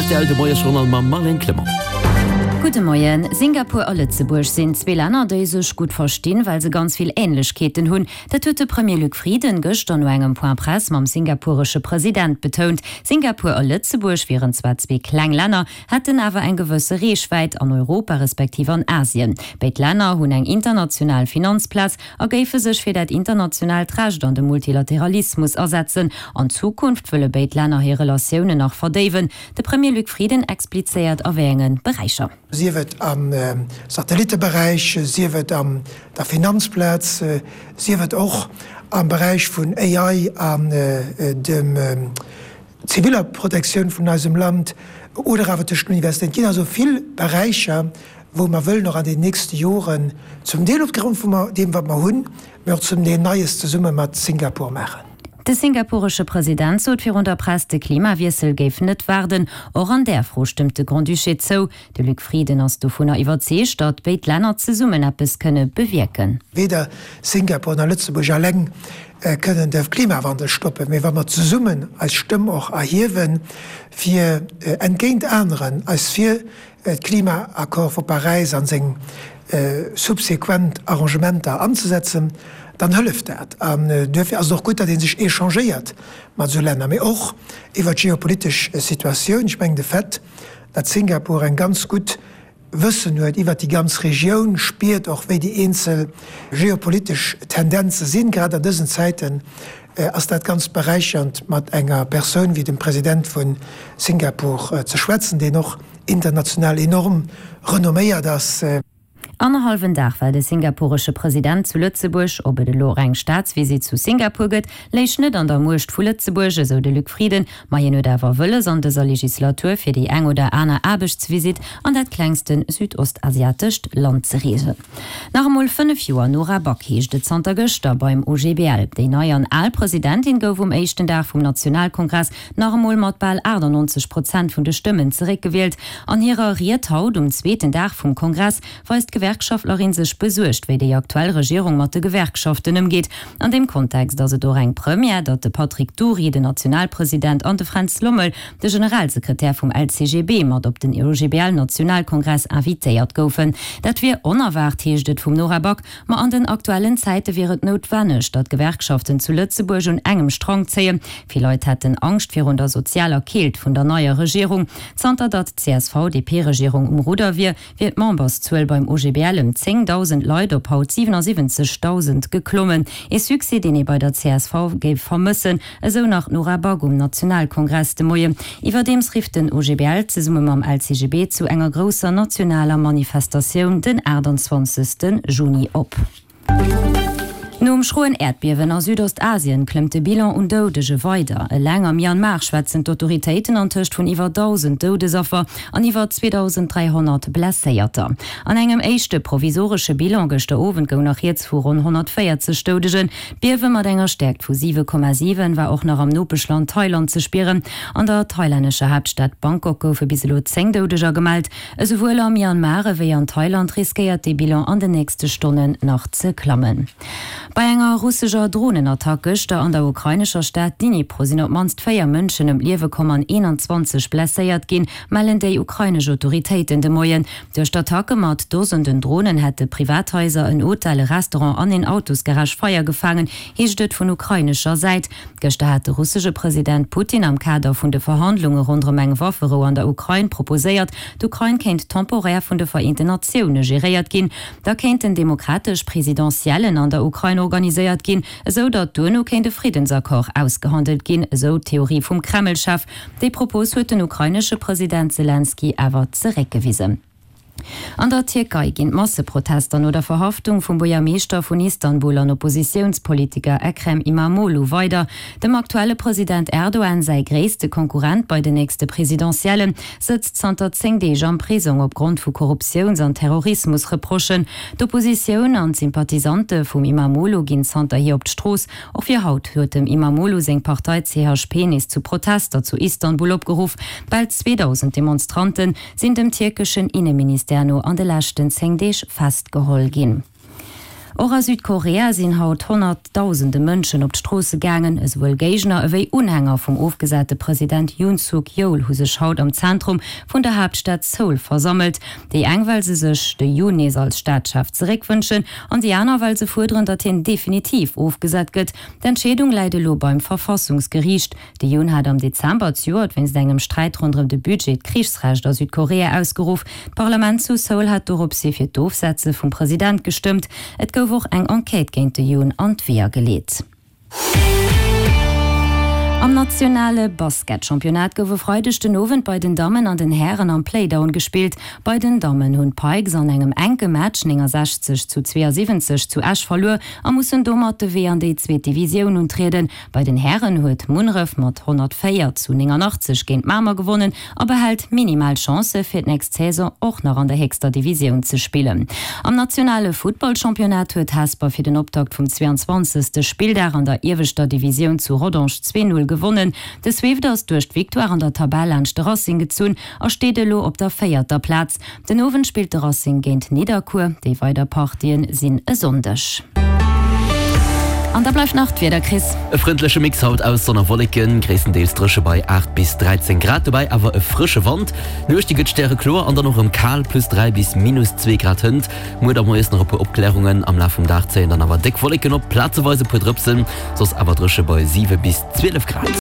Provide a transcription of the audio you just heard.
Rtl, de Moiesjournal mam Marlène Clement. Gudde Moien. Singapur a Lëtzebuerg sinn zwee Länner, déi sech gutt verstinn, well se ganz vill Änlechkeeten hunn. Dat huet de Premier Luc Frieden gëschter no engem Point Presse mam singapuresche President betount. Singapur a Lëtzebuerg wieren zwar zwee kleng Länner, hätten awer eng gewësse Reechwäit an Europa respektiv an Asien. Béid Länner hunn eng international Finanzplaz a géife sech fir dat internationaalt Recht an de Multilateralismus asetzen. An Zukunft wëlle béid Länner hir Relatiounen nach verdéiwen. De Premier Luc Frieden explizéiert a wéi enge Beräicher. Sief et am Satellitteberäich, sief et an der Finanzplaz, sief et och am Beräich vun AI an dem ziviller Protektioun vun eisem Land oder awer tëscht den Universitéiten. Et ginn also vill Beräicher, wou mer wëllen och an den nächste Joren zum Deel opgrond vun deem, wat mer hunn, mä och zum Deel Neies zesumme mat Singapur maachen. De singapuresche President sot virun der Press, de Klimawiessel géif net waarden. Och an där Fro stëmmt de Grand-Duché zou. De Luc Frieden ass dovunner iwwerzeegt, datt béid Länner zesummen eppes kënne bewierken. Weder Singapur nach Lëtzebuerg eleng kënnen de Klimawandel stoppen, mee wa mer zesummen eis Stëmm och erhiewen, fir entgéint aneren eis fir d'Klima-Accord vu Paräis an seng subsequent Arrangementer anzesetzen, dann hëlleft dat. An duerfir ass et och gutt, datt ee sech échangéiert mat esou Länner, mee och iwwert d'geopolitesch Situatioun. Ech mengen, de Fait, datt Singapur eng ganz gutt Wëssen huet iwwert déi ganz Regioun, spiert och, wéi déi eenzel geopolitesch Tendenze sinn. Grad an dësen Zäiten ass dat ganz beräichernd, mat enger Persoun wéi dem President vu Singapur ze schwätzen, deen och international enorm renomméiert ass. Annerhallwen Dag war de singapuresche President zu Lëtzebuerg. Ob et elo och eng Staatsvisitt zu Singapur gëtt, léich net an der Muecht vu Lëtzebuerg, esou de Luc Frieden. Ma hien huet awer wëlles, an dëser Legislatur fir déi eng oder aner Aarbechtsvisitt an dat klengste südostasiatescht Land ze reesen. Nach emol 5 Joer Nora Back heescht et zanter gëschter beim OGBL. Déi nei an al Presidentin gouf um éischten Dag vum Nationalkongress nach emol mat bal 98 Prozent vun de Stëmmen zeréckgewielt. An hirer Ried haut um zweeten Dag vum Kongress weist d'Gewerkschaftlerin sech besuergt, wéi déi aktuell Regierung mat de Gewerkschaften ëmgeet. An deem Kontext ass et och eng Première, datt de Patrick Dury, den Nationalpresident, an de Fränz Lommel, de Generalsekretär vum LCGB, mat op den OGBL-Nationalkongress invitéiert goufen. Dat wier onerwaart, heescht et vum Nora Back. Ma an den aktuellen Zäite wier et noutwenneg, datt d'Gewerkschaften zu Lëtzebuerg un engem Strang zéien. Vill Leit hätten Angscht virun der sozialer Keelt vun der neier Regierung. Zanter datt d'CSV-DP-Regierung um Rudder wier, wier d'Memberszuel beim OGBL ëm 10.000 Leit op haut 77.000 geklommen. Ee Succès, deen ee bei der csv géif vermëssen, esou nach d'Nora Back um Nationalkongress de Moien. Iwwerdeems rifft den OGBL zesumme mam LCGB zu enger grousser nationaler Manifestatioun den 28 Juni op. Nom schroen Äerdbiewen a Südostasien klëmmt de Bilan un Doudege weider. Eleng a Myanmar schwätzen d'Autoritéiten antëscht vun iwwer 1.000 Doudesaffer an iwwer 2.300 Blesséierter. An engem éischte provisoresche Bilan gëschter Owend goung nach rieds vu ronn 140 Doudegen. D'Biewe mat enger Stäerkt vu 7,7 war och nach am Nopeschland Thailand ze spieren. An der thailännescher Haaptstad Bangkok goufe bis elo 10 Doudeger gemellt. Esouwuel a Myanmar ewéi an Thailand riskéiert dee Bilan an den nächste Stonnen nach ze klammen. Bei enger russescher Dronenattack gëschter an der ukrainescher Stad Dnipro sinn op d'mannst 4 Mënschen ëm d'Liewe komm an 21 blesséiert ginn, mellen déi ukrainesch Autoritéiten de Moien. Duerch d'Attacke mat Dosenden Dronen hätte Privathaiser, en Hotel, e Restaurant an een Autosgarage Feier gefaangen, heescht et vun ukrainescher Säit. Gëschter hat de russesche President Putin am Kader vun de Verhandlunge ronderëm eng Wafferou an der Ukrain proposéiert, d'Ukrain kéint temporär vun de Vereenten Natioune geréiert ginn. Da kéinten demokratesch Presidentiellen an der Ukrain organiséiert ginn, esou datt duerno kéint e Friddensaccord ausgehandelt ginn, esou d'Theorie vum Kreml-Chef. Déi Propos huet den ukrainesche President Selenskyj awer zeréckgewisen. An der Tierkei ginn d'Masseprotester no der Verhaftung vum Buergermeeschter vun Istanbul an Oppositiounspolitiker Ekrem Imamoglu weider. Dem aktuelle President Erdogan säi gréisste Konkurrent bei den nächste Presidentielle sëtzt zanter 10 Deeg am Prisong opgrond vu Korruptiouns an Terrorismus-Reprochen. D'Oppositioun an d'Sympathisante vum Imamoglu ginn zanterhier op d'Strooss. Och fir haut huet dem Imamoglu seng Partei CHP nees zu Protester zu Istanbul opgeruff. Bal 2.000 Demonstranten sinn dem tierkeschen Inneministère no an de leschten 10 Deeg festgeholl ginn. Och a Südkorea sinn haut Honnertdausende Mënschen op d'Stroosse gaangen. Esouwuel Géigner ewéi Unhänger vum ofgesate President Yoon Suk Yeol hu sech haut am Zentrum vun der Haaptstad Seoul versammelt. Déi eng well se sech de Yoon nees als Staatschef zeréckwënschen an déi aner well se fuerderen, datt hien definitiv ofgesat gëtt. D'Entscheedung läit elo beim Verfassungsgeriicht. De Yoon hat am Dezember zejoert wéinst engem Sträit ronderëm de Budget d'Krichsrecht a Südkorea ausgeruff. D'Parlament zu Seoul hat doropshi fir d'Ofsetze vum President gestëmmt. Et gouf och eng Enquête géint de Yoon an d'Weeër geleet. Am nationale Basketchampionnat gouf e Freideg den Owend bei den Dammen an den Hären am Playdown gespillt. Bei den Dammen hunn d'Pikes an engem enke Match 69 zu 72 zu Esch verluer a mussen domat de Wee an déi zweet Divisioun untrieden. Bei den Hären huet Munneref mat 104 zu 89 géint Mamer gewonnen a behält minimal Chancë fir d'nächst Saison och nach an der héchster Divisioun ze spillen. Am nationale Futtballchampionnat huet Hesper fir den Optakt vum 22. Spilldag an der ieweschter Divisioun zu Rodange 2, 0 gewonnen. De Swift ass duerch d'Victoire an der Tabell laanscht de Racing gezunn a steet elo op der véierter Plaz. Den Owend spillt de Racing géint Nidderkuer. Déi weider Partien sinn e Sonndeg. An da bleift nach d'Wieder, Chris. E frëndleche Mix haut aus Sonn a Wolleken, gréisstendeels dréche bei 8 bis 13 Grad, dobäi awer e frësche Wand. D'Nuecht déi gëtt stärekloer an dann och erëm kal, plus 3 bis minus 2 Grad hënt. Muer da moies nach e puer Opklärungen, am Laf vum Dag zéien dann awer déck Wolleken op, plazeweis e puer Drëpsen, soss awer dréche bei 7 bis 12 Grad.